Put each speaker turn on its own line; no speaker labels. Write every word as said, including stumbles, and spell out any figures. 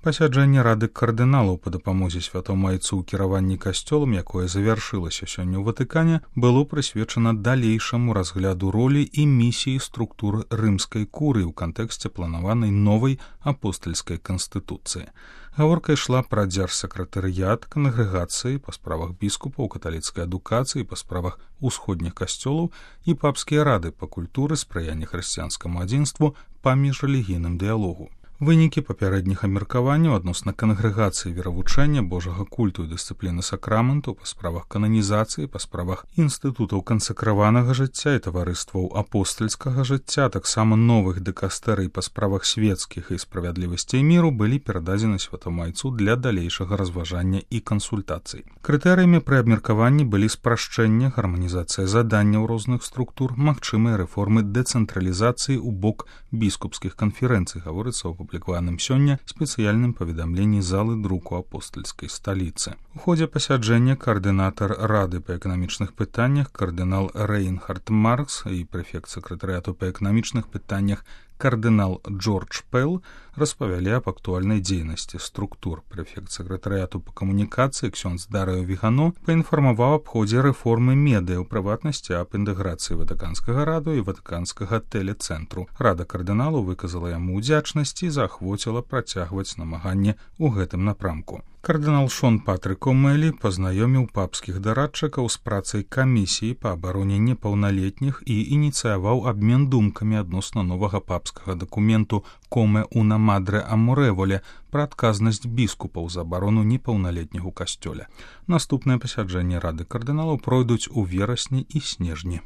Пасяджэнне рады кардыналаў па дапамозе святому айцу ў кіраванні касцёлам, якое завяршылася сёння ў Ватыкане, было прысвечана далейшаму разгляду ролі і місіі структуры рымскай курыі ў кантэксце планаванай новай апостальскай канстытуцыі. Гаворка ішла пра дзяржсакратарыят, кангрэгацыі па справах біскупаў, каталіцкай адукацыі, па справах усходніх касцёлаў і папскія рады па культуры, спрыяння хрысціянскаму адзінству, па міжрэлігійным дыялогу. Вынікі папярэдніх абмеркаванняў адносна кангрэгацыі веравучэння, божага культу і дысцыпліны сакраменту, па справах кананізацыі, па справах інстытутаў кансакраванага жыцця і таварыстваў апостальскага жыцця, таксама новых дыкастэрый па справах свецкіх і справядлівасці і міру былі перададзены святому айцу для далейшага разважання і кансультацый. Крытэрыямі пры абмеркаванні былі спрашчэнне, гарманізацыя заданняў розных структур, магчымыя рэформы дэцэнтралізацыі ў бок біскупскіх канферэнцый, гаворыцца ў апублікаваным сёння спецыяльным паведамленні залы друку апостальскай сталіцы. У ходзе пасяджэння каардынатар рады па эканамічных пытаннях кардынал Рейнхард Маркс і прэфект сакратарыяту па эканамічных пытаннях кардынал Джордж Пэл распавялі аб актуальнай дзейнасці структур. Прэфект сакратарыяту па камунікацыі ксёндз Дарыо Вігано паінфармаваў аб ходзе рэформы медыа, у прыватнасці аб інтэграцыі ватыканскага раду і ватыканскага тэлецэнтру. Рада кардыналу выказала яму ўдзячнасць і заахвоціла працягваць намаганне ў гэтым напрамку. Кардынал Шон Патрык Омэлі пазнаёміў папскіх дарадчыкаў з працай камісіі па абароне непаўналетніх і ініцыяваў абмен думкамі адносна новага папскага дакументу «Коме уна мадре амореволе» пра адказнасць біскупаў за абарону непаўналетніх у касцёле. Наступныя пасяджэнні рады кардыналаў пройдуць у верасні і снежні.